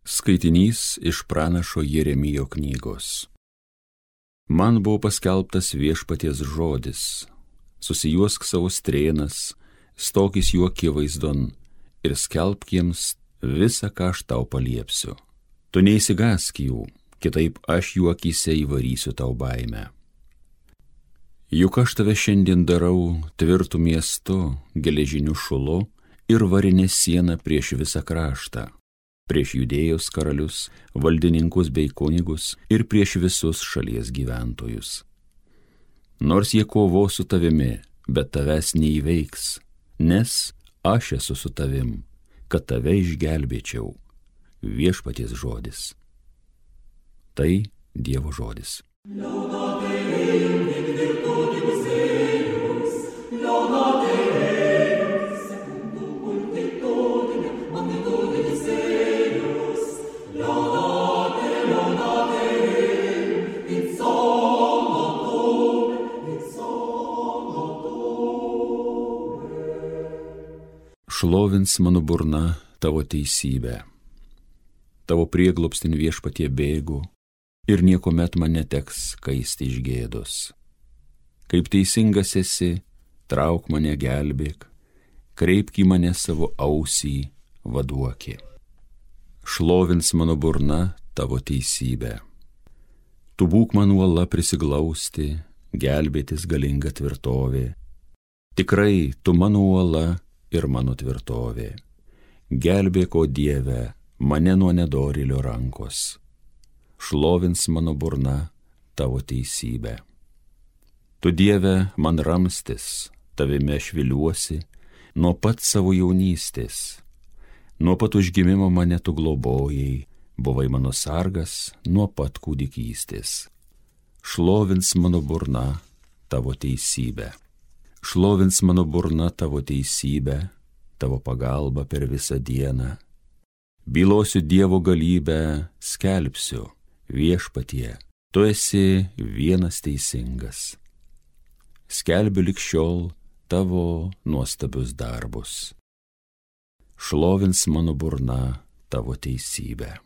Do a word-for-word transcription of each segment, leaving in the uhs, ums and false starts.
Skaitinys iš pranašo Jeremijo knygos. Man buvo paskelbtas viešpaties žodis. Susijuosk savo strėnas, stokis jų akivaizdon ir skelbk jiems visą, ką aš tau paliepsiu. Tu neįsigąsk jų, kitaip aš jų akyse įvarysiu tau baimę. Juk aš tave šiandien darau tvirtų miestu, geležiniu šulu ir varinė siena prieš visą kraštą, prieš Judėjos karalius, valdininkus bei kunigus ir prieš visus šalies gyventojus. Nors jie kovos su tavimi, bet tavęs neįveiks, nes aš esu su tavim, kad tave išgelbėčiau. Viešpaties žodis. Tai Dievo žodis. Šlovins mano burna tavo teisybę. Tavo prieglobstin viešpatie bėgu ir niekuomet man neteks kaisti iš gėdos. Kaip teisingas esi, trauk mane gelbėk, kreipk į mane savo ausį, vaduoki. Šlovins mano burna tavo teisybę. Tu būk man uola prisiglausti, gelbėtis galinga tvirtovė. Tikrai tu mano uola ir mano tvirtovė. Gelbėk, o Dieve, mane nuo nedorėlio rankos. Šlovins mano burna tavo teisybę. Tu, Dieve, man ramstis, tavime aš viliuosi, nuo pat savo jaunystės. Nuo pat užgimimo mane tu globojai, buvai mano sargas nuo pat kūdikystės. Šlovins mano burna tavo teisybę. Šlovins mano burna tavo teisybę, tavo pagalba per visą dieną. Bylosiu Dievo galybę, skelbsiu, viešpatie, tu esi vienas teisingas. Skelbiu lig šiol tavo nuostabius darbus. Šlovins mano burna tavo teisybę.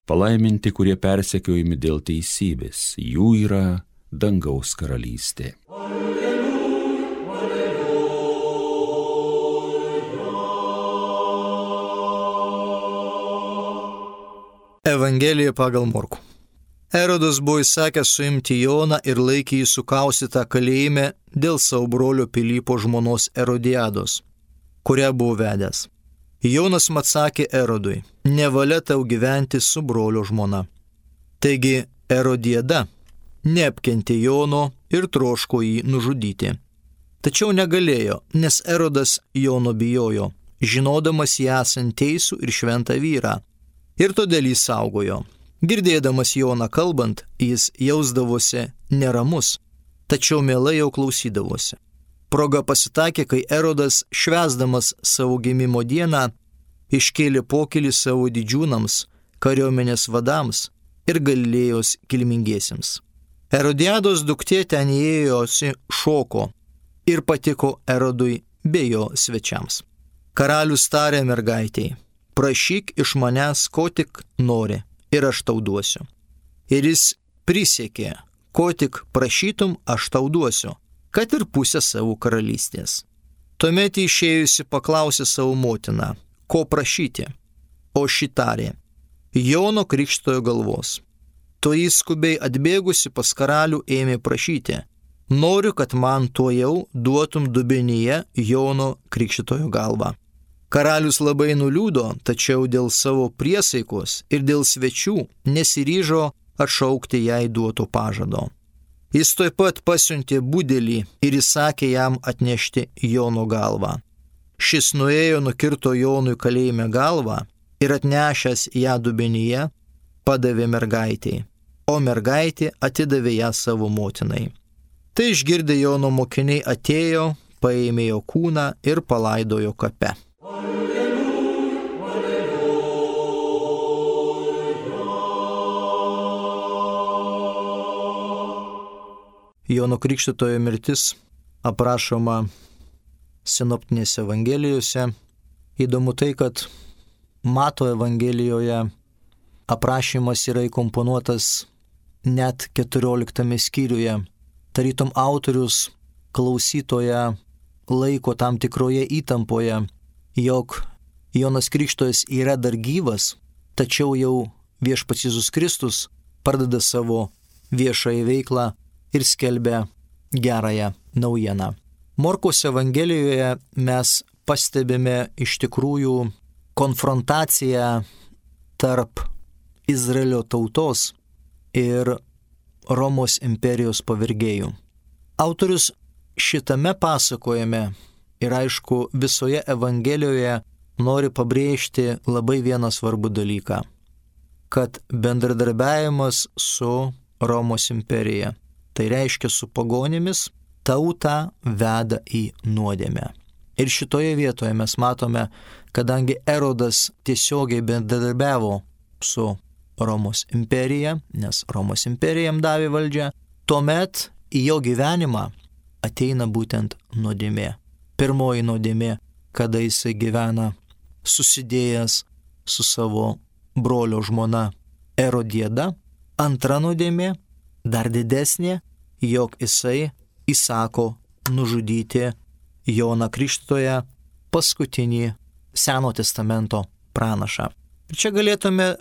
Palaiminti, kurie persekiojami dėl teisybės, jų yra dangaus karalystė. Evangelija pagal Morkų. Erodas buvo įsakęs suimti Joną ir laikė jį sukaustytą kalėjime dėl savo brolio Pilypo žmonos Erodiados, kurią buvo vedęs. Jonas atsakė Erodui: nevalia tau gyventi su brolio žmona. Taigi Erodiada neapkentė Jono ir troško jį nužudyti. Tačiau negalėjo, nes Erodas Jono bijojo, žinodamas jį esant teisų ir šventą vyrą, ir todėl jį saugojo. Girdėdamas Joną kalbant, jis jausdavosi neramus, tačiau mielai jau klausydavosi. Proga pasitakė, kai Erodas, švęsdamas savo gimimo dieną, iškėlė pokylį savo didžiūnams, kariuomenės vadams ir Galilėjos kilmingiesiems. Erodiados duktė ten įėjosi šoko ir patiko Erodui bei jo svečiams. Karalius tarė mergaitei: prašyk iš manęs, ko tik nori, ir aš tau duosiu. Ir jis prisiekė: ko tik prašytum, aš tau duosiu, kad ir pusę savo karalystės. Tuomet išėjusi paklausė savo motiną: ko prašyti? O ši tarė: Jono Krikštytojo galvos. Toji skubiai atbėgusi pas karalių ėmė prašyti: noriu, kad man tuojau duotum dubenyje Jono Krikštytojo galvą. Karalius labai nuliūdo, tačiau dėl savo priesaikos ir dėl svečių nesiryžo atšaukti jai duoto pažado. Jis tuoj pat pasiuntė budelį ir įsakė jam atnešti Jono galvą. Šis nuėjo, nukirto Jonui kalėjime galvą ir atnešęs ją dubenyje padavė mergaitei, o mergaitė atidavė ją savo motinai. Tai išgirdę Jono mokiniai atėjo, paėmė jo kūną ir palaidojo kape. Jono Krikštytojo mirtis aprašoma sinoptinėse evangelijose. Įdomu tai, kad Mato evangelijoje aprašymas yra įkomponuotas net keturioliktame skyriuje. Tarytum autorius klausytoją laiko tam tikroje įtampoje, jog Jonas Krikštytojas yra dar gyvas, tačiau jau Viešpats Jėzus Kristus pradeda savo viešąją veiklą ir skelbia gerąją naujieną. Morkaus evangelijoje mes pastebime iš tikrųjų konfrontaciją tarp Izraelio tautos ir Romos imperijos pavergėjų. Autorius šitame pasakojime ir aišku visoje evangelijoje nori pabrėžti labai vieną svarbų dalyką, kad bendradarbiavimas su Romos imperija, tai reiškia su pagonimis, tautą veda į nuodėmę. Ir šitoje vietoje mes matome, kadangi Erodas tiesiogiai bendradarbiavo su Romos imperija, nes Romos imperija jam davė valdžią, tuomet į jo gyvenimą ateina būtent nuodėmė. Pirmoji nuodėmė, kada jisai gyvena susidėjęs su savo brolio žmona Erodiada. Antra nuodėmė, dar didesnė, jog jisai įsako nužudyti Joną Krikštytoją, paskutinį Seno testamento pranašą. Ir čia galėtume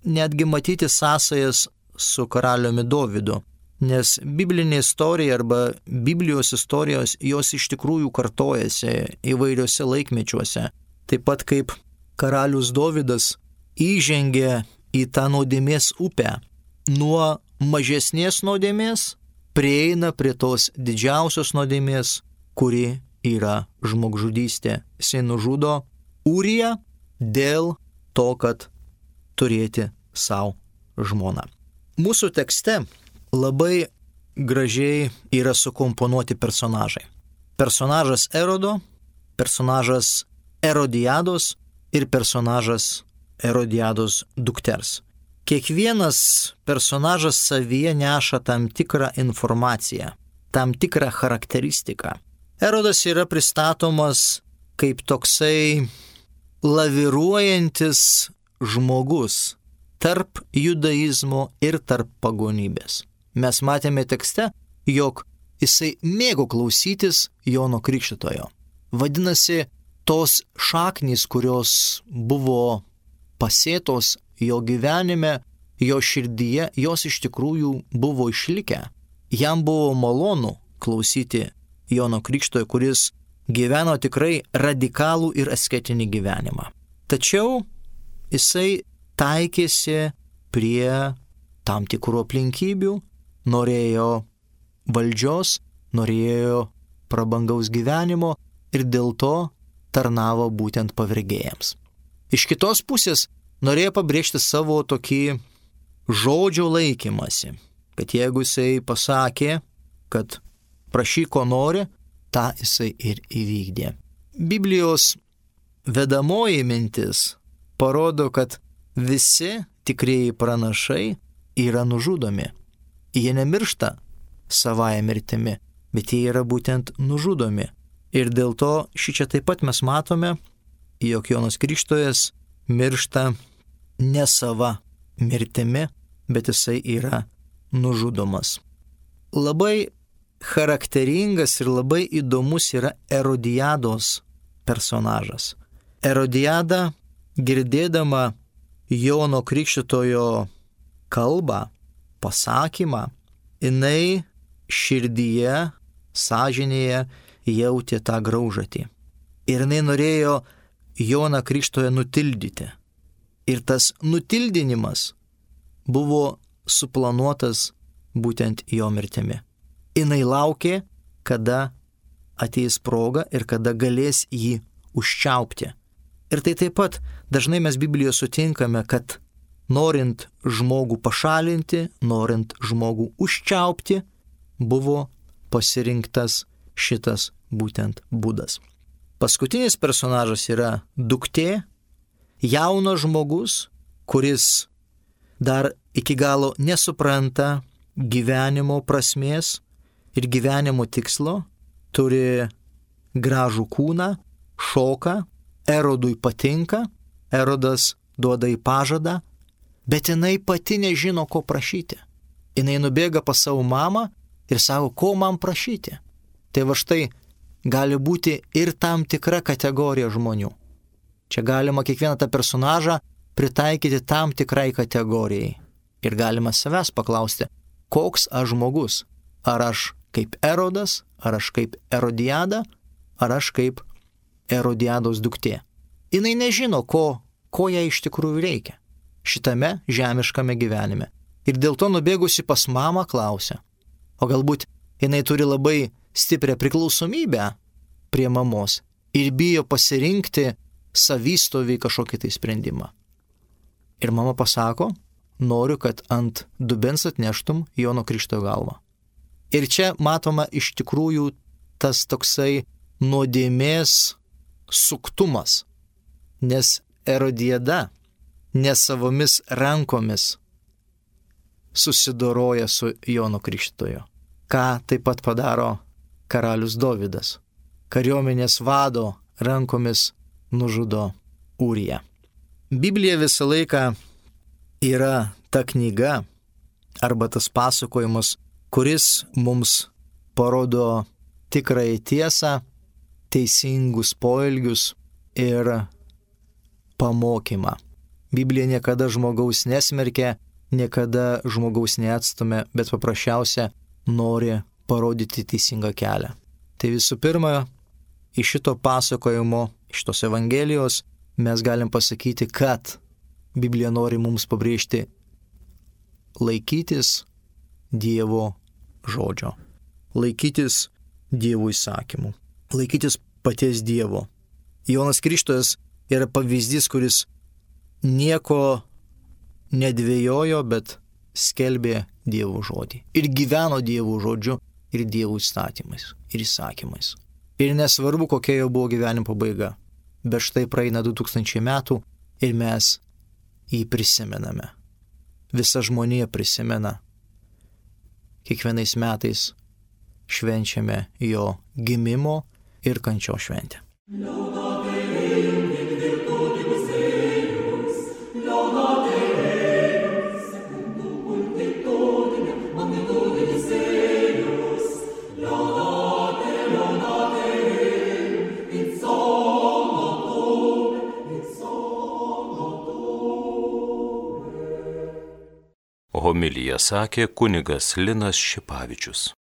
netgi matyti sąsajas su karaliumi Dovydu, nes biblinė istorija arba Biblijos istorijos jos iš tikrųjų kartojasi įvairiuose laikmečiuose. Taip pat kaip karalius Dovydas įžengė į tą nuodėmės upę, nuo mažesnės nuodėmės prieina prie tos didžiausios nuodėmės, kuri yra žmogžudystė. Jisai nužudo Ūriją dėl to, kad turėti savo žmoną. Mūsų tekste labai gražiai yra sukomponuoti personažai. Personažas Erodo, personažas Erodiados ir personažas Erodiados dukters. Kiekvienas personažas savyje neša tam tikrą informaciją, tam tikrą charakteristiką. Erodas yra pristatomas kaip toksai laviruojantis žmogus tarp judaizmo ir tarp pagonybės. Mes matėme tekste, jog jisai mėgo klausytis Jono Krikštytojo. Vadinasi, tos šaknys, kurios buvo pasėtos jo gyvenime, jo širdyje, jos iš tikrųjų buvo išlikę. Jam buvo malonu klausyti Jono Krikštytojo, kuris gyveno tikrai radikalų ir asketinį gyvenimą. Tačiau jisai taikėsi prie tam tikrų aplinkybių, norėjo valdžios, norėjo prabangaus gyvenimo ir dėl to tarnavo būtent pavergėjams. Iš kitos pusės norėjo pabrėžti savo tokį žodžio laikymasi, kad jeigu jisai pasakė, kad prašyk ko nori, tą jisai ir įvykdė. Biblijos vedamoji mintis parodo, kad visi tikrieji pranašai yra nužudomi. Jie nemiršta savąją mirtimi, bet jie yra būtent nužudomi. Ir dėl to šičia taip pat mes matome, jog Jonas Krikštytojas miršta ne sava mirtimi, bet jisai yra nužudomas. Labai charakteringas ir labai įdomus yra Erodiados personažas. Erodiada, girdėdama Jono Krikštytojo kalbą, pasakymą, jinai širdyje, sąžinėje jautė tą graužatį. Ir jinai norėjo Joną Krikštytoją nutildyti. Ir tas nutildinimas buvo suplanuotas būtent jo mirtimi. Jinai laukė, kada ateis proga ir kada galės jį užčiaupti. Ir tai taip pat dažnai mes Biblijoje sutinkame, kad norint žmogų pašalinti, norint žmogų užčiaupti, buvo pasirinktas šitas būtent būdas. Paskutinis personažas yra duktė, jaunas žmogus, kuris dar iki galo nesupranta gyvenimo prasmės ir gyvenimo tikslo, turi gražų kūną, šoka, Erodui patinka, Erodas duoda į pažadą, bet jinai pati nežino, ko prašyti. Jinai nubėga pas savo mamą ir sako, ko man prašyti. Tai va štai gali būti ir tam tikra kategorija žmonių. Čia galima kiekvieną tą personažą pritaikyti tam tikrai kategorijai. Ir galima savęs paklausti, koks aš žmogus. Ar aš kaip Erodas, ar aš kaip Erodiada, ar aš kaip Erodiados duktė. Jinai nežino, ko, ko jai iš tikrųjų reikia šitame žemiškame gyvenime. Ir dėl to nubėgusi pas mamą klausia. O galbūt jinai turi labai stiprią priklausomybę prie mamos ir bijo pasirinkti savystovį kažkokį tai sprendimą. Ir mama pasako, noriu, kad ant dubens atneštum Jono Krikštytojo galvą. Ir čia matoma iš tikrųjų tas toksai nuodėmės suktumas, nes Erodiada ne savomis rankomis susidoroja su Jono Krikštytoju. Ką taip pat padaro karalius Dovydas. Kariuomenės vado rankomis nužudo Ūriją. Biblija visą laiką yra ta knyga arba tas pasakojimas, kuris mums parodo tikrąją tiesą, teisingus poelgius ir pamokymą. Biblija niekada žmogaus nesmerkia, niekada žmogaus neatstumia, bet paprasčiausia nori parodyti teisingą kelią. Tai visų pirma, iš šito pasakojimo, iš tos Evangelijos mes galim pasakyti, kad Biblija nori mums pabrėžti laikytis Dievo žodžio, laikytis Dievo įsakymų, laikytis paties Dievo. Jonas Krikštytojas yra pavyzdys, kuris nieko nedvėjojo, bet skelbė Dievo žodį. Ir gyveno Dievo žodžiu ir Dievo įstatymais ir įsakymais. Ir nesvarbu, kokia jo buvo gyvenimo pabaiga. Bet štai praeina du tūkstančiai metų ir mes jį prisimename. Visa žmonija prisimena. Kiekvienais metais švenčiame jo gimimo ir kančio šventę. Homiliją sakė kunigas Linas Šipavičius.